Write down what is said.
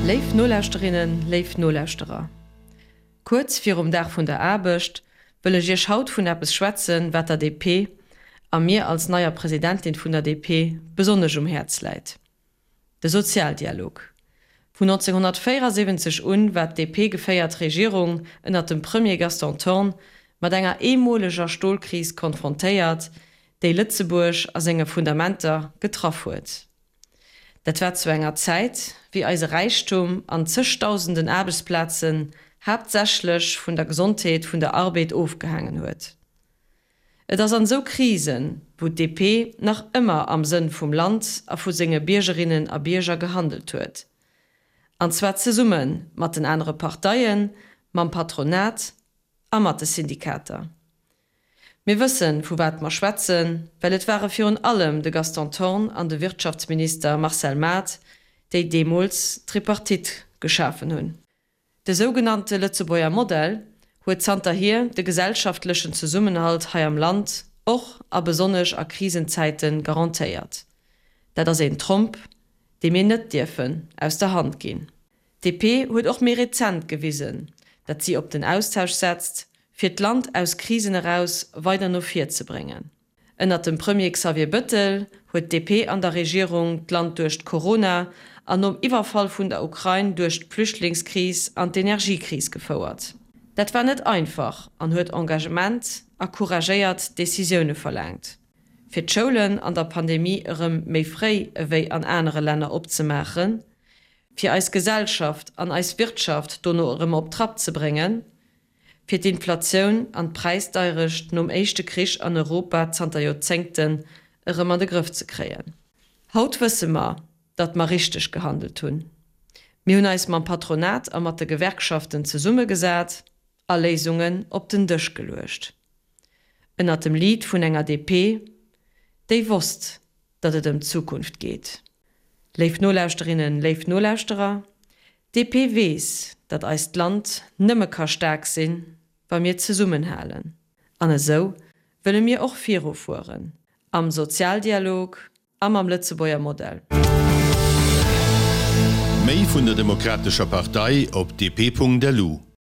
Léif Nolauschterinnen, léif Nolauschterer, kuerz virum Dag vun der Aarbecht wëll ech Iech haut vun eppes schwätzen, wat der DP, a mir als neier Presidentin vun der DP, besonnesch um Häerz läit. De Sozialdialog. Vun 1974 un war d'DP-geféiert Regierung ënnert dem Premier Gaston Thorn mat enger eemoleger Stolkris konfrontéiert, déi Lëtzebuerg a senge Fundamenter getraff huet. Dat war zu enger Zäit, wéi eise Räichtum an zegdausenden Aarbechtsplazen haaptsächlech vun der Gesondheet vun der Arbeed ofgehaangen huet. Et ass an esou Krisen, wou d'DP nach ëmmer am Sënn vum Land a vu senge Biergerinnen a Bierger gehandelt huet. An zwar zesumme mat den anere Parteien, mam Patronat a mat de Syndikater. Mir wëssen, vu wat mer schwätzen, well et ware virun allem de Gaston Thorn an de Wirtschaftsminister Marcel Math, déi deemools d'Tripartite geschafen hunn. De sougenannte Lëtzebuerger Modell huet zanterhier de gesellschaftlechen Zesummenhalt hei am Land och a besonnesch a Krisenzäite garantéiert. Dat ass een Tromp, dee mir net dierfen aus der Hand ginn. D'DP huet och méi rezent gewisen, datt si op den Austausch setzt, fir d'Land aus Krisen eraus weider no vir ze bréngen. Ënnert dem Premier Xavier Bëttel huet d'DP an der Regierung d'Land duerch d'Corona an nom Iwwerfall vun der Ukrain duerch d'Flüchtlingskris an d'Energiekris gefouert. Dat war net einfach an huet Engagement a couragéiert Decisioune verlaangt. Fir d'Schoulen an der Pandemie erëm méi fréi ewéi an anere Länner opzemaachen, fir eis Gesellschaft an eis Wirtschaft dono erëm op Trapp ze bréngen, fir d'Inflatioun an d'Präisdeirecht nom éischte Krich an Europa zanter Joerzéngten erëm an de Grëff ze kréien. Haut wësse mer, datt mer richteg gehandelt hunn. Mir hunn eis mam Patronat a mat de Gewerkschaften zesummegesat a Léisungen op den Dësch geluecht. Ënnert dem Lead vun enger DP, déi wosst, datt et ëm d'Zukunft geet. Léif Nolauschterinnen, léif Nolauschterer, d'DP weess, datt eist Land nëmme ka staark sinn, wa mir zesummenhalen. An esou wëlle mir och virufueren, am Sozialdialog a mam Lëtzebuerger Modell. Méi vun der Demokratescher Partei op dp.lu.